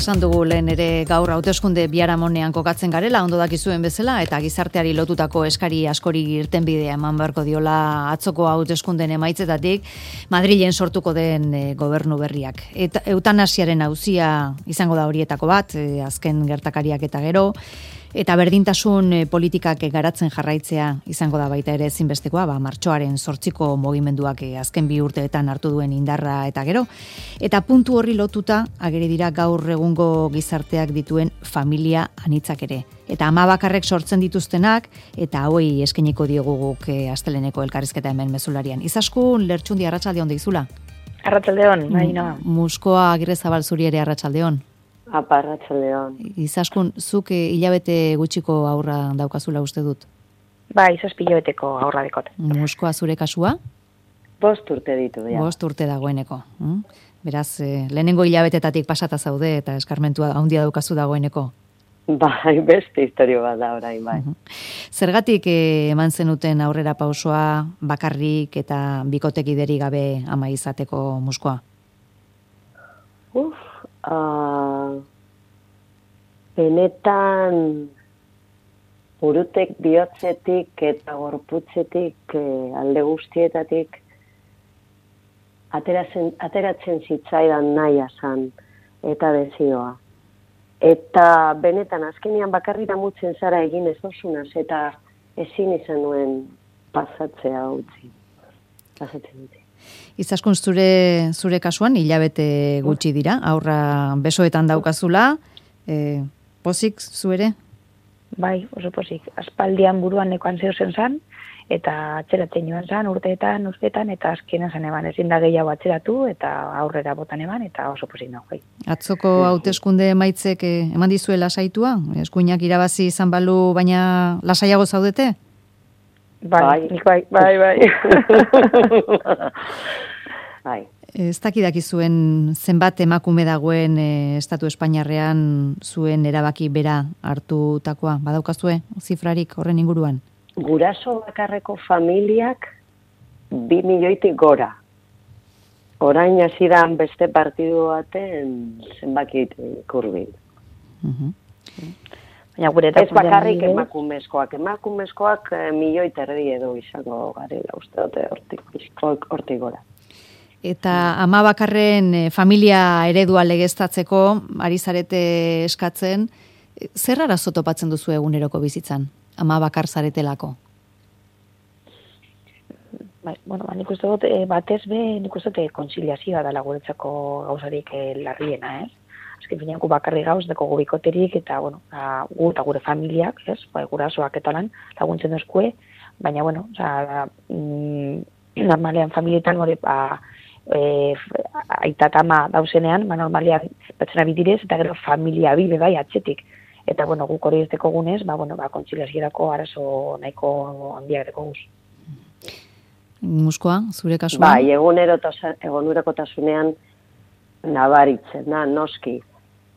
esan dugu lehen ere gaur hauteskunde biharamonean kokatzen garela, ondo dakizuen bezala, eta gizarteari lotutako eskari askori irtenbidea eman beharko diola atzoko hauteskundeen emaitzetatik Madrilen sortuko den gobernu berriak. Eta eutanasiaren auzia izango da horietako bat, azken gertakariak eta gero, eta berdintasun politikak garatzen jarraitzea izango da baita ere ezinbestekoa, martxoaren 8ko mugimenduak azken 2 urteetan hartu duen indarra eta gero. Eta puntu horri lotuta ageri dira gaur egungo gizarteak dituen familia anitzak ere. Eta ama bakarrek sortzen dituztenak, eta hauei eskainiko diogu guk asteleneko elkarrizketa hemen mezularian. Izaskun Lertxundi arratsaldeon deizula. Arratsaldeon, baina. Muskoa Agirrezabal zuri ere arratsaldeon. Arratsaldeon. Izaskun, zuk hilabete gutxiko aurra daukazula uste dut? Bai, 7 hilabeteko aurra dekot. Muskoa zure kasua? 5 urte ditu, ja. 5 urte dagoeneko. Beraz, lehenengo hilabetetatik pasata zaude eta eskarmentua handia daukazu dagoeneko. Bai, beste historio bat da orain, bai. Zergatik eman zenuten aurrera pausoa bakarrik eta bikotekideri gabe ama izateko Muskoa? Benetan burutek bihotzetik eta gorputzetik alde guztietatik ateratzen zitzaidan nahia zan eta desioa. Eta benetan azkenean bakarrira mutzen zara egin ez dozunaz eta ezin izan nuen pasatzea utzi. Pasatzen utzi. Izaskun zure kasuan hilabete gutxi dira, aurra besoetan daukazula, pozik zuere? Bai, oso pozik. Aspaldian buruan nekoan zeuzen zan, eta atzeratzen joan zan urteetan, eta azkenan zan eban ezin da gehiago atzeratu, eta aurrera botan eban, eta oso pozik nago. Atzoko hauteskunde emaitzek eman dizue lasaitua? Eskuinak irabazi izan balu, baina lasaiago zaudete? Bai. Bai. Ez dakidaki zuen zenbat emakume dagoen Estatu Espainiarrean zuen erabaki bera hartutakoa. Badaukazue zifrarik horren inguruan? Guraso bakarreko familiak 2 milioitik gora. Orain hasidan beste partidu baten zenbakit kurbil. Ez bakarrik emakumezkoak. Emakumezkoak 1,5 milioi edo izango garela uste dute hortik gora. Eta ama bakarren familia eredua legeztatzeko ari zarete eskatzen, zer arazo topatzen duzu eguneroko bizitzan, ama bakar zaretelako? Nik uste dut, batez nik uste dut kontziliazioa dela guretzako gauzarik larriena, ez? Azken finean gu bakarri gauz, deko gu bikoterik, eta gu eta gure familiak, ez? Gurasoak eta lan laguntzen dozkue, baina, normalean familietan hori, aita eta ama dauzenean, normalean batzena bidirez, eta gero familia bibe bai atxetik. Eta, guk hori ez deko gunez, kontziliaziorako arazo nahiko handiak deko guz. Muskoa, zure kasuan? Bai, egunerokotasunean nabaritzen da, noski.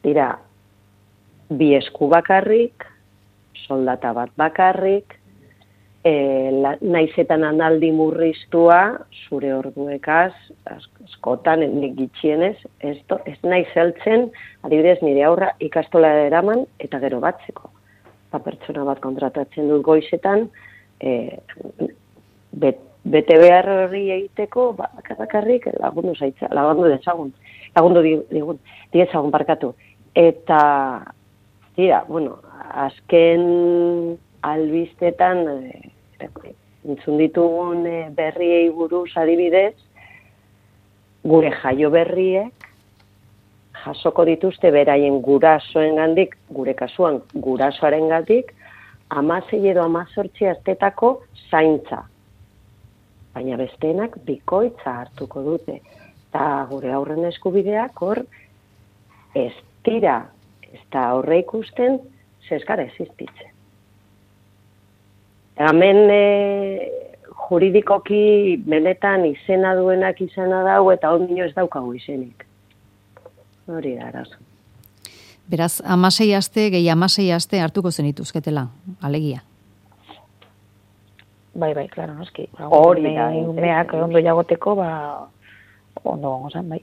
Dira, 2 esku bakarrik, soldata bat bakarrik, naizetan analdi murriztua, zure orduekaz, askotan, nik gitxienez, ez naiz heltzen, adibidez nire aurra ikastola eraman, eta gero batzeko. Pertsona bat kontratatzen dut goizetan, bete behar hori egiteko, bakarrik lagundu diezagun barkatu. Eta, azken albistetan, entzun ditugun berriei buruz adibidez, gure jaio berriek jasoko dituzte beraien gurasoengandik, gure kasuan gurasoarengatik, 16 edo 18 astetako zaintza. Baina besteenak bikoitza hartuko dute. Eta gure aurren eskubideak hor ez dira, ez da horre ikusten, zeskara existitzen. Hemen juridikoki benetan izena duenak izena dau eta ondino ez daukagu izenik. Hori da arazo. Beraz, 16 aste, gehi 16 aste hartuko zenituzketela, alegia. Bai, klaro, noski. Hori da. Umeak ondo jagoteko, ondo gongo zen, bai.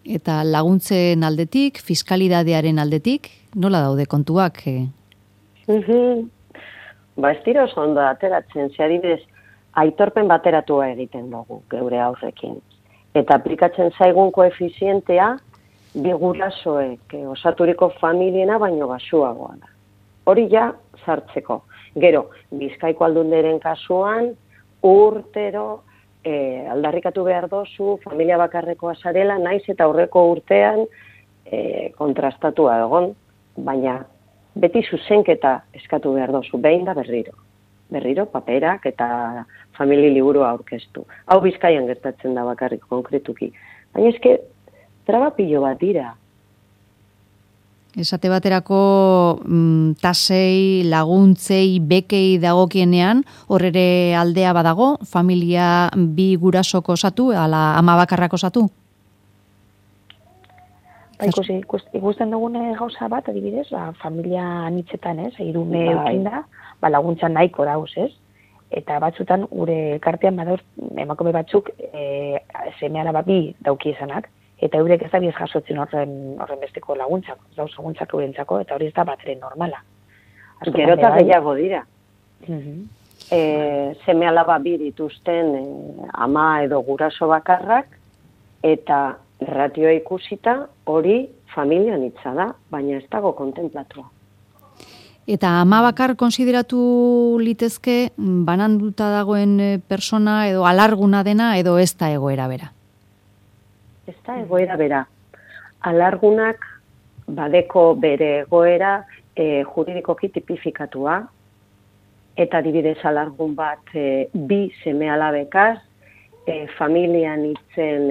Eta laguntzen aldetik, fiskalidadearen aldetik, nola daude kontuak? Ba, ez dira oso ondo ateratzen, ze adibidez, aitorpen bateratua egiten dugu, geure aurrekin. Eta aplikatzen zaigun koefizientea, bi gurasoek osaturiko familiena baino baxuagoa da. Hori ja sartzeko. Gero, Bizkaiko Aldunderen kasuan, urtero aldarrikatu behar dozu, familia bakarrekoa zarela, naiz eta aurreko urtean kontrastatua egon, baina beti zuzenketa eskatu behar dozu, behin da berriro. Berriro, paperak eta famili liburua aurkeztu. Hau Bizkaian gertatzen da bakarrik konkretuki. Baina eske, traba pilo bat dira. Esate baterako tasei, laguntzei, bekei dagokienean, horre aldea badago, familia bi gurasoko osatu, ala ama bakarrak osatu? Ikusten dugune gauza bat, adibidez, familia anitzetan, hirume eukinda, laguntza nahiko dauz, eta batzutan gure elkartean badauz emakume batzuk seme-alaba bi dauki izanak, eta eurek ez da biz jasotzen horren besteko laguntzak, dauz laguntzak eurentzako, eta hori ez da batre normala. Gero eta gehiago dira. Seme-alaba bi dituzten ama edo guraso bakarrak, eta ratioa ikusita hori familian hitza da, baina ez dago kontemplatua. Eta ama bakar konsideratu litezke bananduta dagoen persona edo alarguna dena edo ez da egoera bera? Ez da egoera bera. Alargunak badeko bere egoera juridikoki tipifikatua, eta adibidez alargun bat bi seme-alabekaz, familian hitzen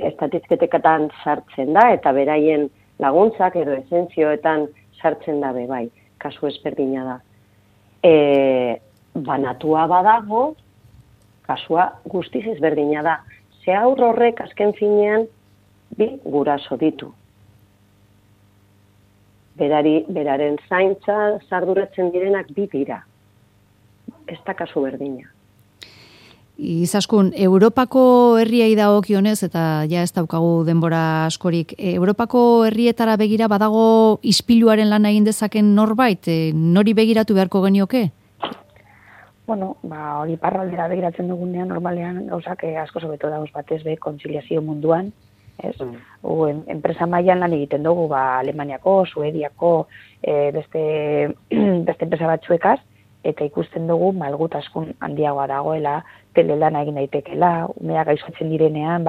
estatizketeketan sartzen da, eta beraien laguntzak edo esentzioetan sartzen da bai, kasu ezberdina da. Banatua badago, kasua guztiz ezberdina da. Ze haur horrek azken finean bi guraso ditu. Beraren zaintza zarduratzen direnak bi dira. Ez da kasu berdina. Izaskun, Europako herriai dagokionez, eta ja ez daukagu denbora askorik, Europako herrietara begira badago ispiluaren lana egin dezaken norbait, nori begiratu beharko genioke? Bueno, hori iparraldera begiratzen dugunean, normalean gauzak asko sobeto dauz batez kontziliazio munduan, ez? Enpresa mailan lan egiten dugu, Alemaniako, Suediako, beste enpresa batzuekaz, eta ikusten dugu malgutaskun handiagoa dagoela, telelana egin daitekela, umea gaixotzen direnean,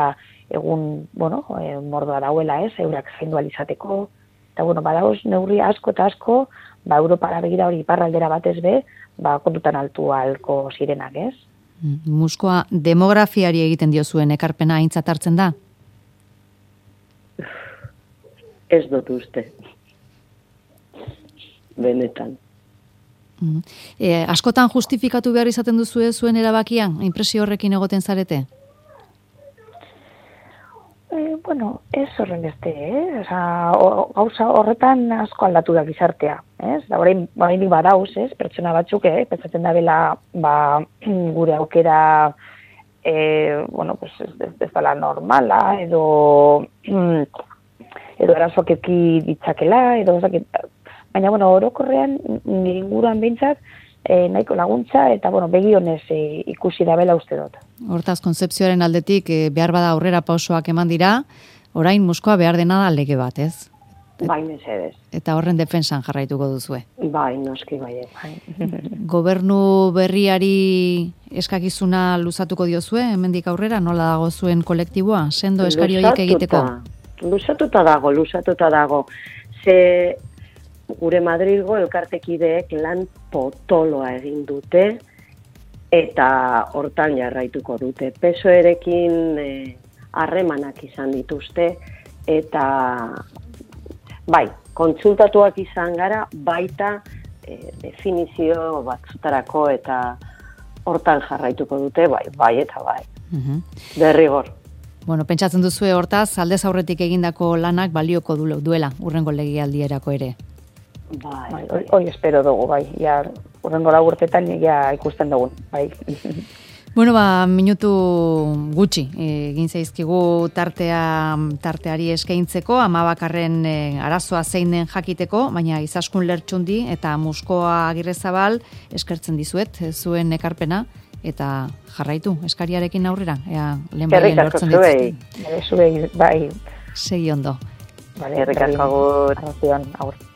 egun, mordoa dauela, eurak zaindu alizateko, eta, badauz neurri asko eta asko, Europara begira hori iparraldera batez kontutan altu alko zirenak, ez? Muskoa, demografiari egiten diozuen ekarpena aintzat hartzen da? Ez dut uste. Benetan. Askotan justifikatu behar izaten duzu zuen erabakia, inpresio horrekin egoten zarete? Ez horren beste, gauza horretan asko aldatu da gizartea, ez? Da orain badauz, ez? Pertsona batzuk, pentsatzen da bela, gure aukera, ez dela normala, edo erasoak eki ditzakela, baina, orokorrean, nire inguruan behintzat, nahiko laguntza, eta, begionez ikusi da bela uste dut. Hortaz, konzepzioaren aldetik, behar bada aurrera pausoak eman dira, orain Muskoa behar dena da lege bat, ez? Bai, mesedez. Eta horren defensan jarraituko duzue. Bai, noski bai. Gobernu berriari eskakizuna luzatuko diozue, hemendik aurrera, nola dago zuen kolektiboa? Sendo eskari horiek egiteko? Luzatuta dago. Ze gure Madrilgo elkartekideek lan potoloa egin dute, eta hortan jarraituko dute. PSOErekin harremanak izan dituzte, eta bai, kontsultatuak izan gara, baita definizio batzutarako eta hortan jarraituko dute, bai eta bai. Derrigor. Pentsatzen duzue hortaz, aldez aurretik egindako lanak balioko duela, urrengo legealdierako ere. Bai, hori espero dugu, bai. Urrengo urtetan ikusten dugun, bai. Bueno, minutu gutxi egin zaizkigu tarteari eskaintzeko, amabakarren arazoa zein den jakiteko, baina Izaskun Lertxundi eta Muskoa Agirrezabal eskertzen dizuet zuen ekarpena, eta jarraitu eskariarekin aurrera, lehen baien lortzen dituzte. Zuei, bai. Segi ondo. Vale, agur.